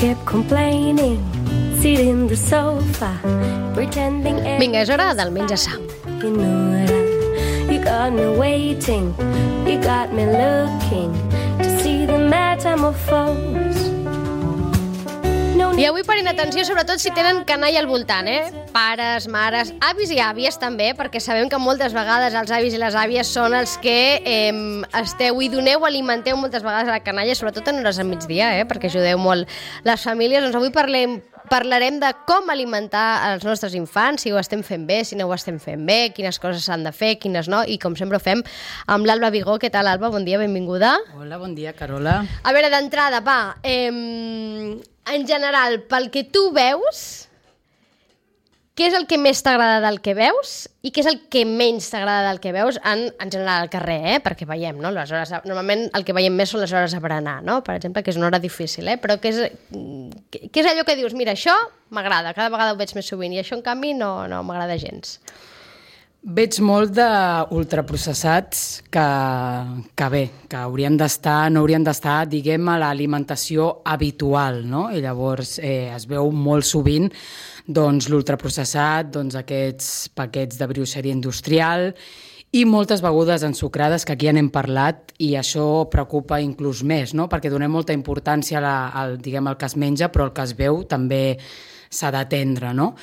kept complaining, sitting in the sofa, pretending. Vinga, és hora del menja sa. You know that you got me waiting, you got me looking to see the metamorphose. I avui parem atenció, sobretot si tenen canalla al voltant, pares, mares, avis i àvies també, perquè sabem que moltes vegades els avis i les àvies són els que esteu i doneu, alimenteu moltes vegades a la canalla, sobretot en hores de migdia, perquè ajudeu molt les famílies. Doncs avui parlarem de com alimentar els nostres infants, si ho estem fent bé, si no ho estem fent bé, quines coses s'han de fer, quines no, i com sempre ho fem amb l'Alba Vigó. Què tal, Alba? Bon dia, benvinguda. Hola, bon dia, Carola. A veure, d'entrada, va, en general, pel que tu veus, què és el que més t'agrada del que veus i què és el que menys t'agrada del que veus en general al carrer, perquè veiem, no? Les hores, normalment el que veiem més són les hores a berenar, no? Per exemple, que és una hora difícil, però què és allò que dius, mira, això m'agrada, cada vegada ho veig més sovint, i això, en canvi, no m'agrada gens. Veig molt d'ultraprocessats que bé, que no haurien d'estar, diguem, a l'alimentació habitual, no? I llavors es veu molt sovint doncs, l'ultraprocessat, doncs, aquests paquets de brioixeria industrial i moltes begudes ensucrades, que aquí ja n'hem parlat, i això preocupa inclús més, no? Perquè donem molta importància al que es menja, però el que es veu també s'ha d'atendre, no?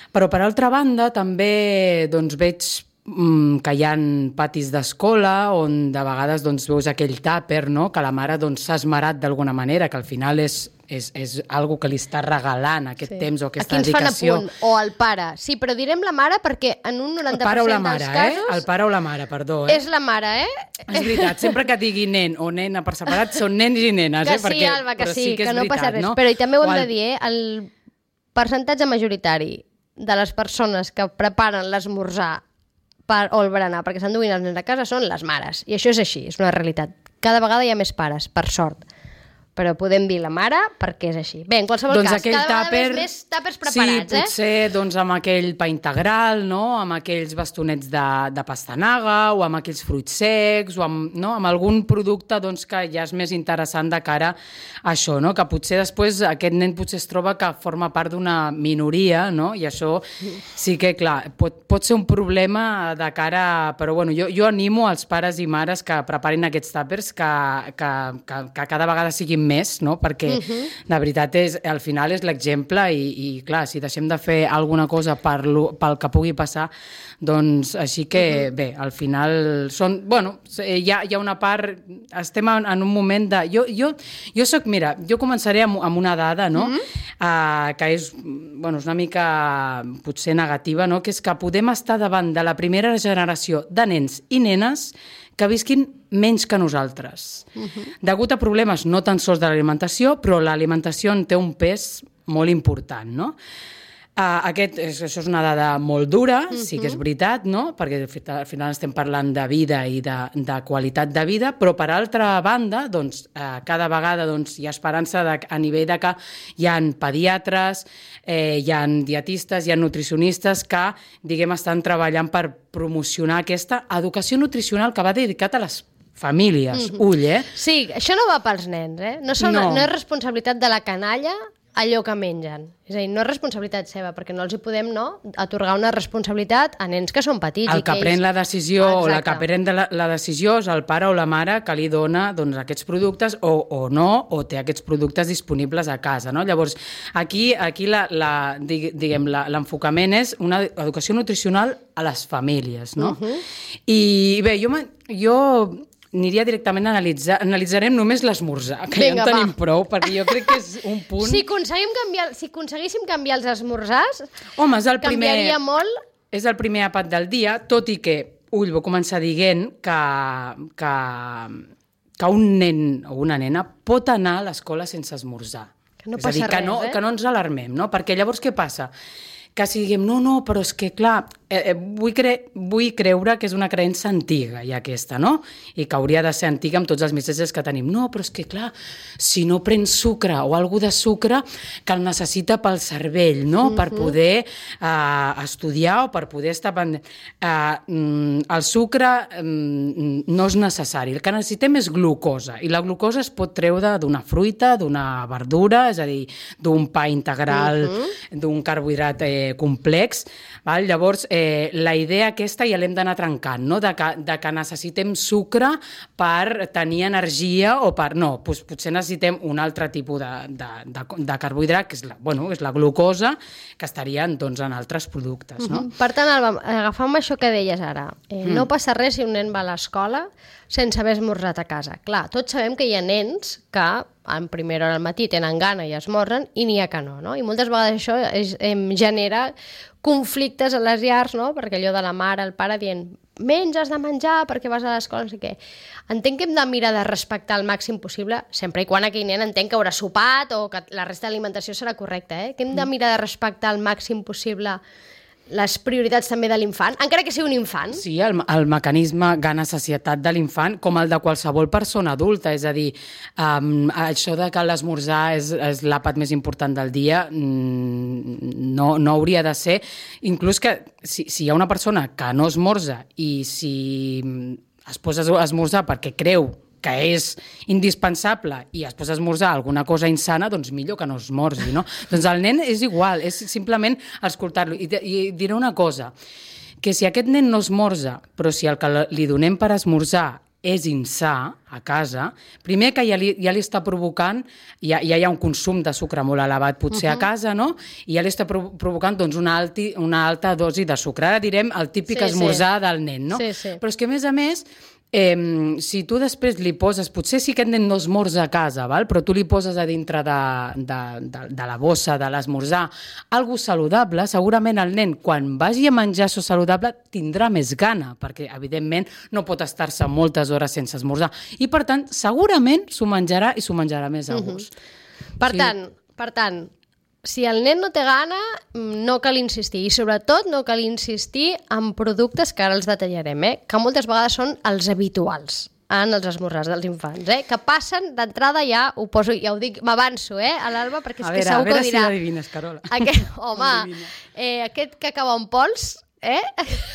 Però, per altra banda, també doncs, veig que hi ha patis d'escola on de vegades doncs, veus aquell tàper, no? Que la mare doncs, s'ha esmerat d'alguna manera, que al final és algo que li està regalant aquest temps o aquesta dedicació. Aquí ens fan a punt, o el pare. Sí, però direm la mare perquè en un 90% dels casos... El pare o la mare, perdó. És la mare, És veritat, sempre que digui nen o nena per separat són nens i nenes. Que sí, Alba, que sí, que no passa res. Però també ho hem de dir, el percentatge majoritari de les persones que preparen l'esmorzar o el berenar perquè s'enduguin els nens a casa són les mares. I això és així, és una realitat. Cada vegada hi ha més pares, per sort. Però podem dir la mare perquè és així. Bé, en qualsevol cas, cada vegada més tàpers preparats, Sí, potser doncs, amb aquell pa integral, no? Amb aquells bastonets de pastanaga o amb aquells fruits secs o amb algun producte doncs, que ja és més interessant de cara a això, no? Que potser després aquest nen potser es troba que forma part d'una minoria, no? I això sí que, clar, pot ser un problema de cara... Però bueno, jo animo als pares i mares que preparin aquests tàpers que cada vegada siguin més, no? Perquè la veritat al final és l'exemple i clar, si deixem de fer alguna cosa pel que pugui passar, doncs així que bé, al final són, bueno, hi ha una part, estem en un moment de... Jo soc, mira, jo començaré amb una dada, no? Que és una mica potser negativa, no? Que és que podem estar davant de la primera generació de nens i nenes que visquin menys que nosaltres. Degut a problemes no tan sols de l'alimentació, però l'alimentació en té un pes molt important, no? Això és una dada molt dura, sí que és veritat, no? Perquè al final estem parlant de vida i de qualitat de vida, però per altra banda, doncs, cada vegada hi ha esperança a nivell de que hi ha pediatres, hi ha dietistes, hi ha nutricionistes que, diguem, estan treballant per promocionar aquesta educació nutricional que va dedicat a les famílies. Ull, Sí, això no va pels nens, No és responsabilitat de la canalla allò que mengen. És a dir, no és responsabilitat seva, perquè no els hi podem atorgar una responsabilitat a nens que són petits. El que pren la decisió o la que pren la decisió és el pare o la mare que li dona aquests productes o no, o té aquests productes disponibles a casa, no? Llavors, aquí l'enfocament és una educació nutricional a les famílies, no? I bé, jo aniria directament a analitzarem només l'esmorzar, que ja en tenim prou, perquè jo crec que és un punt... Si aconseguíssim canviar els esmorzars, home, canviaria molt... És el primer àpat del dia, tot i que, vull començar dient que un nen o una nena pot anar a l'escola sense esmorzar. Que no passa res, que no ens alarmem, no? Perquè llavors què passa? Que si diguem, no, però és que, clar, vull creure que és una creença antiga, ja aquesta, no? I que hauria de ser antiga amb tots els missatges que tenim. No, però és que, clar, si no prens sucre o alguna de sucre que el necessita pel cervell, no? Per poder estudiar o per poder estar pendent. El sucre no és necessari. El que necessitem és glucosa, i la glucosa es pot treure d'una fruita, d'una verdura, és a dir, d'un pa integral, d'un carbohidrat complex. Val? Llavors, la idea aquesta ja l'hem d'anar trencant, no? De que necessitem sucre per tenir energia o per... No, doncs potser necessitem un altre tipus de carbohidrat, que és la glucosa, que estarien doncs, en altres productes. No? Per tant, Alba, agafant això que deies ara, no passa res si un nen va a l'escola sense haver esmorzat a casa. Clar, tots sabem que hi ha nens que en primera hora al matí tenen gana i esmorzen i n'hi ha que no? I moltes vegades això genera conflictes a les llars, no? Perquè allò de la mare, el pare dient menys has de menjar perquè vas a l'escola, no sé què. Entenc que hem de mirar de respectar al màxim possible, sempre i quan aquell nen entenc que haurà sopat o que la resta d'alimentació serà correcta, que hem de mirar de respectar al màxim possible les prioritats també de l'infant, encara que sigui un infant. Sí, el mecanisme gana-sacietat de l'infant, com el de qualsevol persona adulta, és a dir, això de que l'esmorzar és l'àpat més important del dia no hauria de ser, inclús que si hi ha una persona que no esmorza i si es posa a esmorzar perquè creu que és indispensable i es posa a esmorzar alguna cosa insana, doncs millor que no esmorzi, no? Doncs el nen és igual, és simplement escoltar-lo. I diré una cosa, que si aquest nen no esmorza, però si el que li donem per esmorzar és insà a casa, primer que ja li està provocant, ja hi ha un consum de sucre molt elevat potser a casa, no? I ja li està provocant doncs, una alta dosi de sucre. Ara direm el típic esmorzar del nen, no? Sí. Però és que a més, si tu després li poses, potser sí que aquest nen no esmorza a casa, val? Però tu li poses a dintre de la bossa de l'esmorzar algo saludable, segurament el nen quan vagi a menjar això saludable tindrà més gana, perquè evidentment no pot estar-se moltes hores sense esmorzar i per tant segurament s'ho menjarà i s'ho menjarà més a gust. Per tant, si el nen no té gana, no cal insistir. I sobretot no cal insistir en productes que ara els detallarem, que moltes vegades són els habituals en els esmorzars dels infants, que passen d'entrada ja, ho poso, ja ho dic, m'avanço, a l'Alba, perquè és que segur que ho dirà. A veure si l'adivines, Carola. Home, aquest cacau en pols,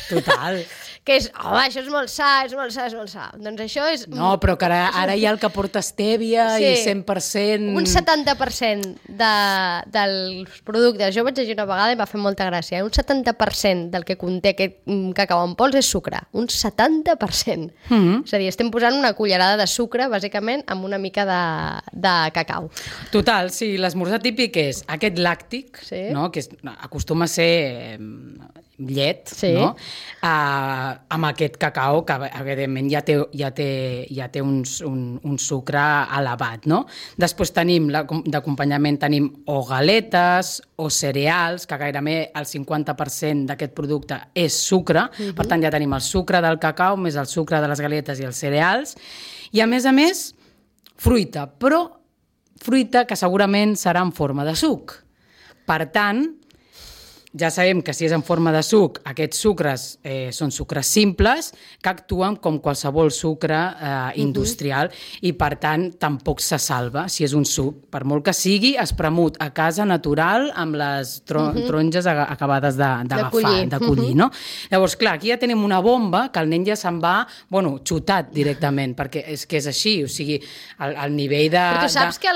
Total. Que és, això és molt sa, és molt sa. Doncs això és... No, però que ara hi ha el que porta estèvia i 100%... Un 70% dels productes. Jo vaig llegir una vegada i va fer molta gràcia. Un 70% del que conté aquest cacau en pols és sucre. Un 70%. És a dir, estem posant una cullerada de sucre, bàsicament, amb una mica de cacau. Total, sí, l'esmorzar típic és aquest làctic, no? Que acostuma a ser llet, no? Amb aquest cacau que evidentment ja té un sucre elevat, no? Després tenim d'acompanyament tenim o galetes o cereals, que gairebé el 50% d'aquest producte és sucre, per tant ja tenim el sucre del cacau més el sucre de les galetes i els cereals, i a més, fruita, però fruita que segurament serà en forma de suc. Per tant, ja sabem que si és en forma de suc, aquests sucres són sucres simples que actuen com qualsevol sucre industrial i, per tant, tampoc se salva si és un suc, per molt que sigui espremut a casa natural amb les taronges acabades d'agafar, de collir, no? Llavors, clar, aquí ja tenim una bomba que el nen ja se'n va, xutat directament, perquè és que és així, o sigui, el nivell de... Però tu saps que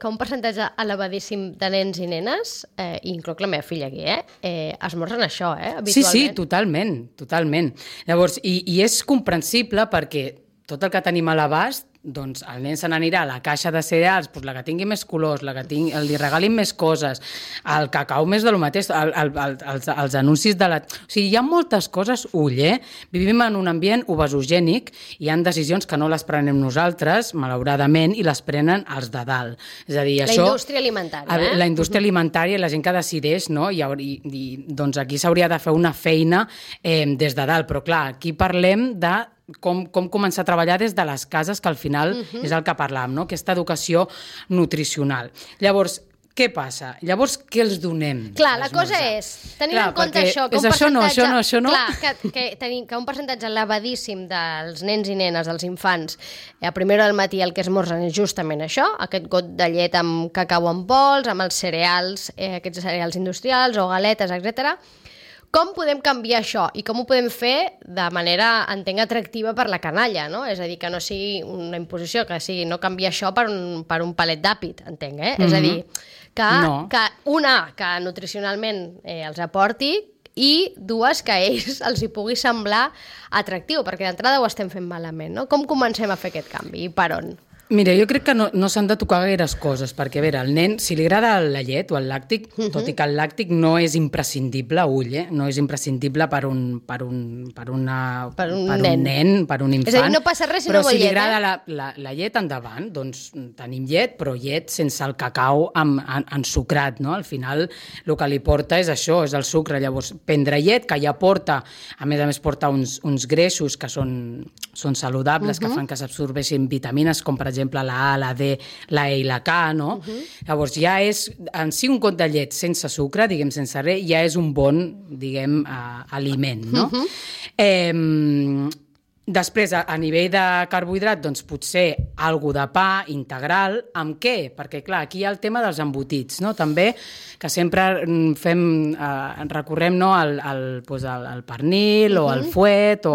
un percentatge elevadíssim de nens i nenes, i incloc la meva filla aquí, esmorzen això, habitualment. Sí, totalment. Llavors, i és comprensible perquè tot el que tenim a l'abast, doncs el nen se n'anirà a la caixa de cereals, doncs la que tingui més colors, la que li regalin més coses, el cacau més de lo mateix, els anuncis de la... O sigui, hi ha moltes coses, vivim en un ambient obesogènic, hi ha decisions que no les prenem nosaltres, malauradament, i les prenen els de dalt. És a dir, la indústria alimentària, La indústria alimentària i la gent que decideix, no? I doncs aquí s'hauria de fer una feina des de dalt, però clar, aquí parlem de com començar a treballar des de les cases, que al final és el que parlàvem, no? Aquesta educació nutricional. Llavors, què passa? Llavors, què els donem? Clar, la cosa és, tenint en compte això, que un percentatge elevadíssim dels nens i nenes, dels infants, a primera del matí el que esmorzen és justament això, aquest got de llet amb cacau en pols, amb els cereals, aquests cereals industrials o galetes, etc. Com podem canviar això i com ho podem fer de manera, entenc, atractiva per la canalla, no? És a dir, que no sigui una imposició, que sigui no canviar això per un palet d'àpid, entenc, És a dir, que nutricionalment els aporti i dues, que a ells els hi pugui semblar atractiu, perquè d'entrada ho estem fent malament, no? Com comencem a fer aquest canvi i per on? Mira, jo crec que no s'han de tocar gaires coses, perquè, a veure, el nen, si li agrada la llet o el làctic, tot i que el làctic no és imprescindible, no és imprescindible per un nen, per un infant. És a dir, no passa res si no vol llet, però si li agrada la llet, endavant, doncs tenim llet, però llet sense el cacau ensucrat, no? Al final, el que li porta és això, és el sucre. Llavors, prendre llet, que ja porta, a més porta uns greixos que són saludables, que fan que s'absorbeixin vitamines, com per exemple la A, la D, la E i la K, no? Llavors ja és, en si un got de llet sense sucre, diguem, sense res, ja és un bon, diguem, aliment, no? Després, a nivell de carbohidrat, doncs potser algo de pa integral. Amb què? Perquè, clar, aquí hi ha el tema dels embotits, no? També, que sempre recorrem, no, al pernil o al fuet,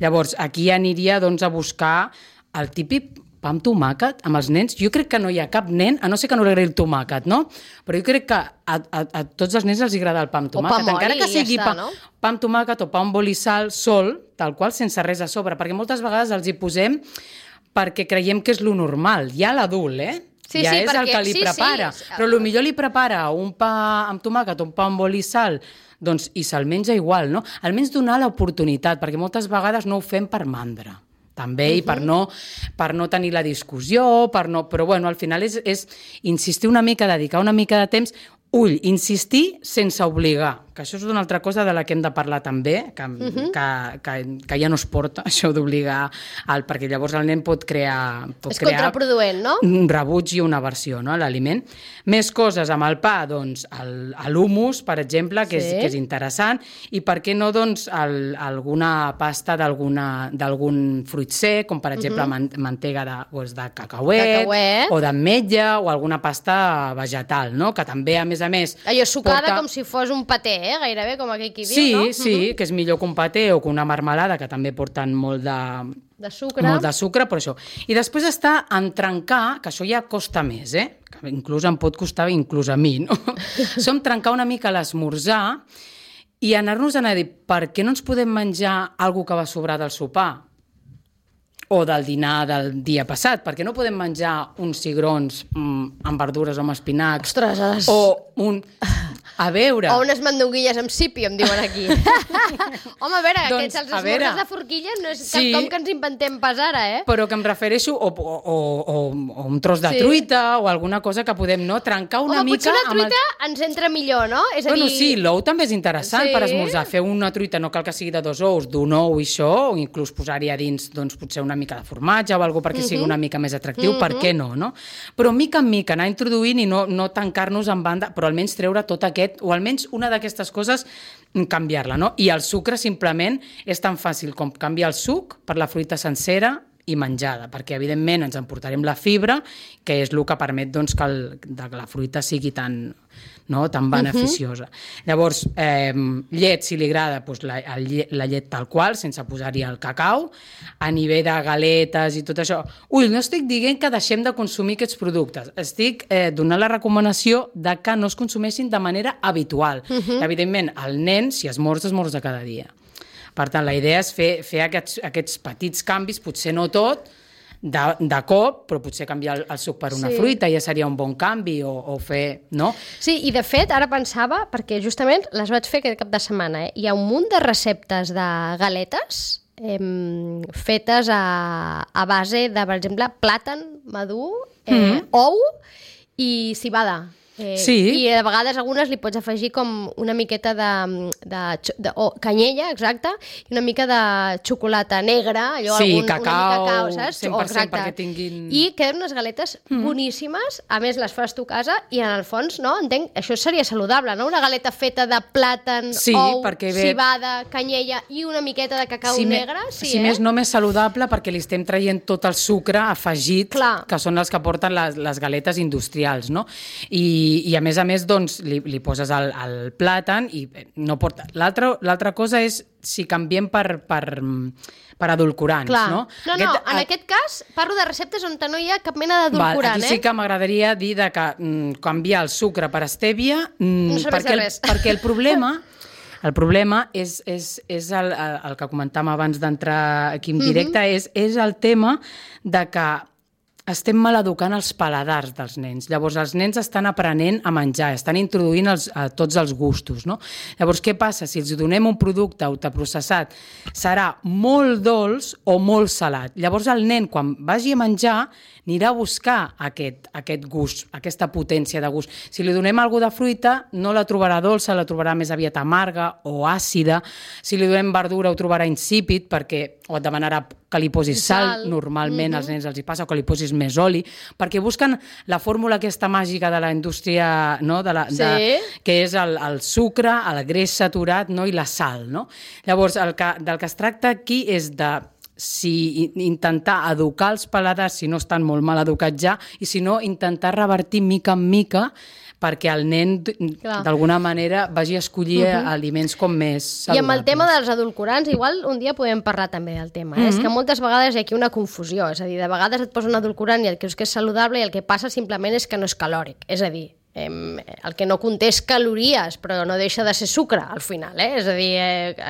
Llavors, aquí aniria, doncs, a buscar el típic pa amb tomàquet amb els nens. Jo crec que no hi ha cap nen, a no ser que no li agradi el tomàquet, no? Però jo crec que a tots els nens els agrada el pa amb tomàquet. O pa encara que sigui ja està, no? Pa amb tomàquet o pa amb oli i sal sol, tal qual, sense res a sobre, perquè moltes vegades els hi posem perquè creiem que és lo normal. Ja l'adult, Sí, ja sí, és el que li prepara. Però potser li prepara un pa amb tomàquet o un pa amb oli i sal, doncs, i se'l menja igual, no? Almenys donar l'oportunitat, perquè moltes vegades no ho fem per mandra. També, i per no tenir la discussió, però bueno, al final és insistir una mica, dedicar una mica de temps, insistir sense obligar, que això és una altra cosa de la que hem de parlar també, que ja no es porta, això d'obligar, perquè llavors el nen pot crear... És contraproduent, no? Un rebuig i una aversió, no?, a l'aliment. Més coses amb el pa, doncs, l'humus, per exemple, que és interessant, i per què no, doncs, alguna pasta d'algun fruit sec, com per exemple mantega de cacauet, o d'ametlla, o alguna pasta vegetal, no?, que també, a més... Allò sucada com si fos un paté, gairebé, com aquell qui diu, no? Sí, que és millor que un paté o que una marmelada, que també porten molt de sucre, però això. I després està en trencar, que això ja costa més, que inclús em pot costar inclús a mi, no? Som trencar una mica l'esmorzar i anar-nos a dir, per què no ens podem menjar alguna que va sobrar del sopar? O del dinar del dia passat, perquè no podem menjar uns cigrons amb verdures o amb espinacs. Ostres! O a veure... O unes mandonguilles amb sípi, em diuen aquí. Home, a veure, doncs, els esmorzars de forquilla no és quelcom que ens inventem pas ara, Però que em refereixo o un tros de truita o alguna cosa que podem, no, trencar una mica... Potser una truita ens entra millor, no? És a dir... Bueno, sí, l'ou també és interessant per esmorzar. Fer una truita, no cal que sigui de 2 ous, d'un ou i això, o inclús posar-hi a dins, doncs, potser una mica de formatge o alguna perquè sigui una mica més atractiu, per què no, no? Però mica en mica anar introduint i no tancar-nos en banda, però almenys treure tot aquest, o almenys una d'aquestes coses, canviar-la, no? I el sucre simplement és tan fàcil com canviar el suc per la fruita sencera i menjada, perquè evidentment ens emportarem la fibra, que és el que permet, doncs, que la fruita sigui tan beneficiosa. Llavors, llet, si li agrada, doncs la llet tal qual, sense posar-hi el cacau, a nivell de galetes i tot això. No estic dient que deixem de consumir aquests productes, estic donant la recomanació de que no es consumeixin de manera habitual. Evidentment, el nen, si esmorza cada dia. Per tant, la idea és fer aquests petits canvis, potser no tot, de cop, però potser canviar el suc per una fruita ja seria un bon canvi, o fer, no? Sí, i de fet, ara pensava, perquè justament les vaig fer aquest cap de setmana, hi ha un munt de receptes de galetes fetes a base de, per exemple, plàtan madur, ou i cibada. I a vegades algunes li pots afegir com una miqueta de canyella, exacte, i una mica de xocolata negra, allò, cacau, saps? 100% perquè tinguin... I queden unes galetes boníssimes, a més les fas tu a casa, i en el fons, no, entenc, això seria saludable, no? Una galeta feta de plàtan, ou, cibada, canyella i una miqueta de cacau negre, si més no més saludable, perquè li estem traient tot el sucre afegit, que són els que porten les galetes industrials, no? I a més, doncs, li poses el plàtan i no porta... L'altra cosa és si canviem per edulcorants, no? En aquest cas parlo de receptes on no hi ha cap mena d'edulcorant, Aquí sí que m'agradaria dir que canviar el sucre per stèvia, perquè el problema és el que comentàvem abans d'entrar aquí en directe, és el tema de que estem maleducant els paladars dels nens. Llavors, els nens estan aprenent a menjar, estan introduint tots els gustos, no? Llavors, què passa? Si els donem un producte ultraprocessat, serà molt dolç o molt salat. Llavors, el nen, quan vagi a menjar, anirà a buscar aquest gust, aquesta potència de gust. Si li donem alguna de fruita, no la trobarà dolça, la trobarà més aviat amarga o àcida. Si li donem verdura, ho trobarà insípid, o et demanarà que li posis sal, normalment als nens els hi passa, o que li posis més oli, perquè busquen la fórmula aquesta màgica de la indústria, no? Que és el sucre, el greix saturat, no? I la sal. No? Llavors, del que es tracta aquí és de intentar educar els paladars si no estan molt mal educats ja, i si no, intentar revertir mica en mica perquè el nen, d'alguna manera, vagi a escollir aliments com més saludables. I amb el tema dels edulcorants, igual un dia podem parlar també del tema. És que moltes vegades hi ha aquí una confusió, és a dir, de vegades et posa un edulcorant i el que és saludable i el que passa simplement és que no és calòric. És a dir, el que no conté és calories, però no deixa de ser sucre, al final, És a dir,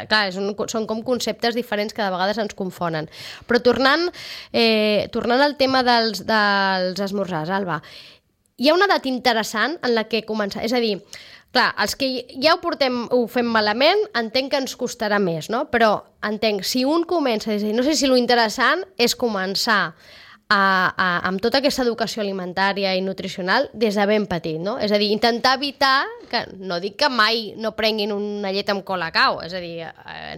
clar, són com conceptes diferents que de vegades ens confonen. Però tornant al tema dels esmorzars, Alba, hi ha una edat interessant en la que començar... És a dir, clar, els que ja ho fem malament, entenc que ens costarà més, no? Però entenc, si un comença... És a dir, no sé si lo interessant és començar amb tota aquesta educació alimentària i nutricional des de ben petit, no? És a dir, intentar evitar, que no dic que mai no prenguin una llet amb colacao, és a dir,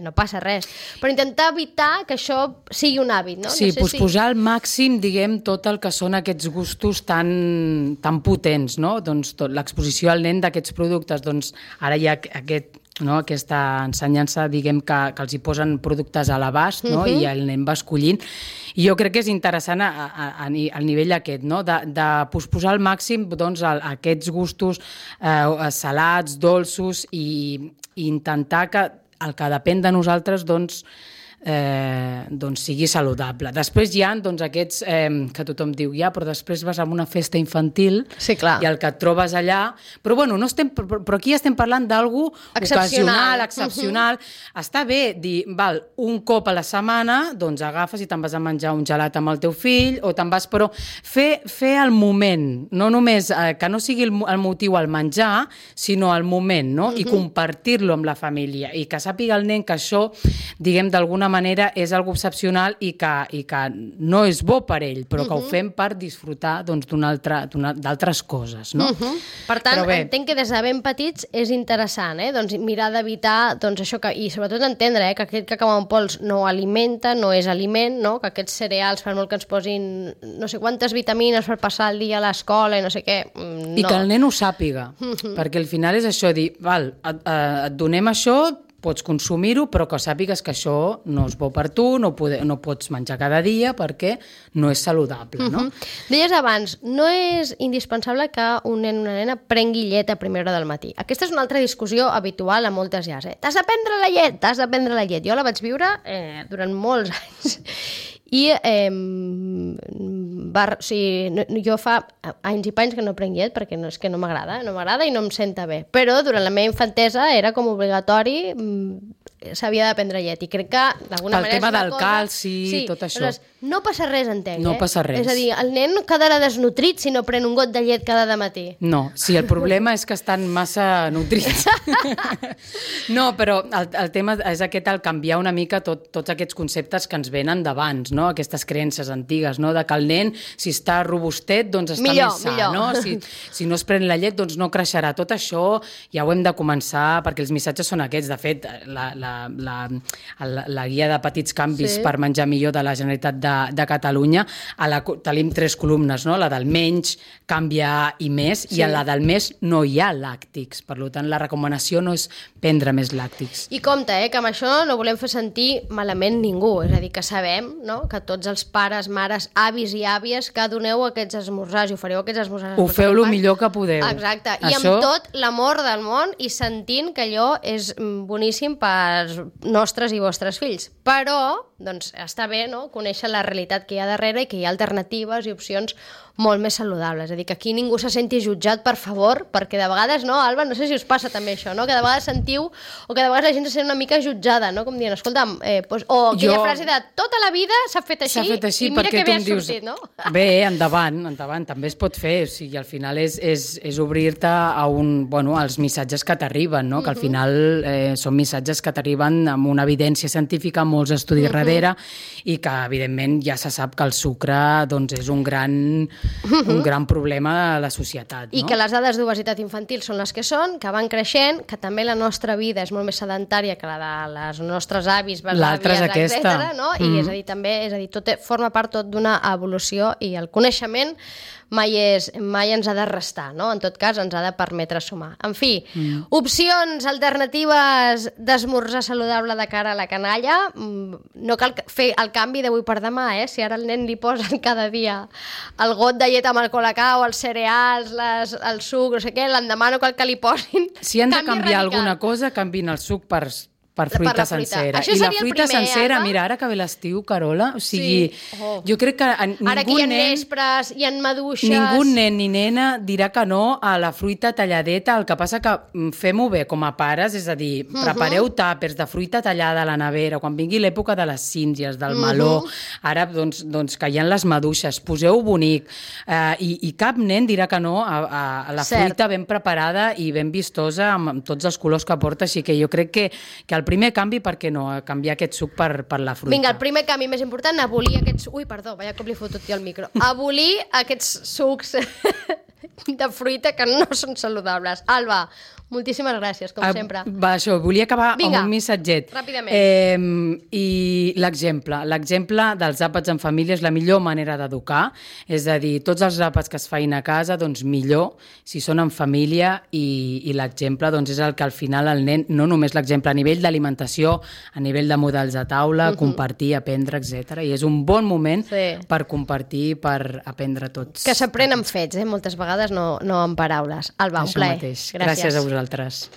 no passa res, però intentar evitar que això sigui un hàbit, no? Sí, posar al màxim, diguem, tot el que són aquests gustos tan potents, no? Doncs l'exposició al nen d'aquests productes, doncs ara hi ha aquesta ensenyança, diguem, que els hi posen productes a l'abast, no? I el nen va escollint. I jo crec que és interessant al nivell aquest, no? De posposar al màxim aquests gustos salats, dolços, i intentar que el que depèn de nosaltres sigui saludable. Després hi ha aquests que tothom diu però després vas a una festa infantil i el que et trobes allà, però aquí estem parlant d'algú ocasional, excepcional. Està bé dir, un cop a la setmana doncs agafes i te'n vas a menjar un gelat amb el teu fill, o te'n vas, però fer el moment, no només que no sigui el motiu el menjar, sinó el moment, no? I compartir-lo amb la família, i que sàpiga el nen que això, diguem, d'alguna manera és algo excepcional i que no és bo per ell, però que ho fem per disfrutar d'altres coses, no? Per tant, entenc que des de ben petits és interessant, doncs mirar d'evitar això, i sobretot entendre que aquest cacau en pols no alimenta, no és aliment, no? Que aquests cereals, per molt que ens posin no sé quantes vitamines per passar el dia a l'escola i no sé què, no. I que el nen ho sàpiga, perquè al final és això, dir, et donem això, pots consumir-ho, però que sàpigues que això no és bo per tu, no pots menjar cada dia perquè no és saludable, no? Deies abans, no és indispensable que un nen o una nena prengui llet a primera hora del matí. Aquesta és una altra discussió habitual a moltes llars. T'has de prendre la llet, Jo la vaig viure durant molts anys. I jo fa anys i panys que no prenc llet perquè és que no m'agrada i no em senta bé, però durant la meva infantesa era com obligatori s'havia de prendre llet. I crec que, d'alguna manera... El tema del calci, tot això. Aleshores, no passa res, entenc, No passa res. És a dir, el nen no quedarà desnutrit si no pren un got de llet cada matí. No, sí, el problema és que estan massa nutrits. No, però el tema és aquest, el canviar una mica tots aquests conceptes que ens venen d'abans, no? Aquestes creences antigues, no? De que el nen, si està robustet, doncs està més sa, no? Si no es pren la llet, doncs no creixerà. Tot això ja ho hem de començar, perquè els missatges són aquests. De fet, la guia de petits canvis per menjar millor de la Generalitat de Catalunya, tenim 3 columnes, no? La del menys, canviar i més, i a la del més no hi ha làctics. Per tant, la recomanació no és prendre més làctics. I compte, que amb això no volem fer sentir malament ningú. És a dir, que sabem, no?, que tots els pares, mares, avis i àvies que doneu aquests esmorzars i ofereu aquests esmorzars... Ho feu el millor que podeu. Exacte. I amb tot l'amor del món i sentint que allò és boníssim pels nostres i vostres fills. Però, doncs, està bé, no?, conèixer la realitat que hi ha darrere i que hi ha alternatives i opcions molt més saludables. És a dir, que aquí ningú se senti jutjat, per favor, perquè de vegades, no, Alba, no sé si us passa també això, no?, que de vegades sentiu, o que de vegades la gent se sent una mica jutjada, no?, com dient, escolta'm, o aquella frase de tota la vida s'ha fet així i mira que bé has sortit, no? Bé, endavant, també es pot fer, o sigui, al final és obrir-te a als missatges que t'arriben, no?, que al final són missatges que t'arriben amb una evidència científica, molts estudis darrere, i que, evidentment, ja se sap que el sucre, doncs, és un gran problema a la societat, no? I que les dades d'obesitat infantil són les que són, que van creixent, que també la nostra vida és molt més sedentària que la de les nostres avis, l'altra és aquesta, no? I és a dir, també, tot forma part tot d'una evolució i el coneixement mai ens ha de restar, no? En tot cas, ens ha de permetre sumar. En fi, opcions alternatives d'esmorzar saludable de cara a la canalla. No cal fer el canvi d'avui per demà, si ara al nen li posen cada dia el got de llet amb el colacao, els cereals, el suc, no sé què, l'endemà no cal que li posin. Si han de canviar alguna cosa, canvin el suc per fruita sencera. I la fruita sencera, mira, ara que ve l'estiu, Carola, o sigui, jo crec que ara que hi ha nespres, hi ha maduixes... Ningú nen ni nena dirà que no a la fruita talladeta, el que passa que fem-ho bé com a pares, és a dir, prepareu tàpers de fruita tallada a la nevera, quan vingui l'època de les síngies, del meló, ara, doncs, que hi ha les maduixes, poseu-ho bonic, i cap nen dirà que no a la fruita ben preparada i ben vistosa, amb tots els colors que porta, així que jo crec que el primer canvi, per què no? Canviar aquest suc per la fruita. Vinga, el primer canvi més important, abolir aquests... Ui, perdó, vaya com li he fotut jo al micro. Abolir aquests sucs de fruita que no són saludables. Alba, moltíssimes gràcies, com sempre. Això, volia acabar amb un missatget. Ràpidament. I l'exemple dels àpats en família és la millor manera d'educar, és a dir, tots els àpats que es feien a casa, doncs millor si són en família, i l'exemple doncs és el que al final el nen, no només l'exemple a nivell d'alimentació, a nivell de models de taula, compartir, aprendre, etc. I és un bon moment per compartir, per aprendre tots. Que s'aprèn amb fets, moltes vegades no amb paraules. Alba, un plaer. Gràcies a vosaltres.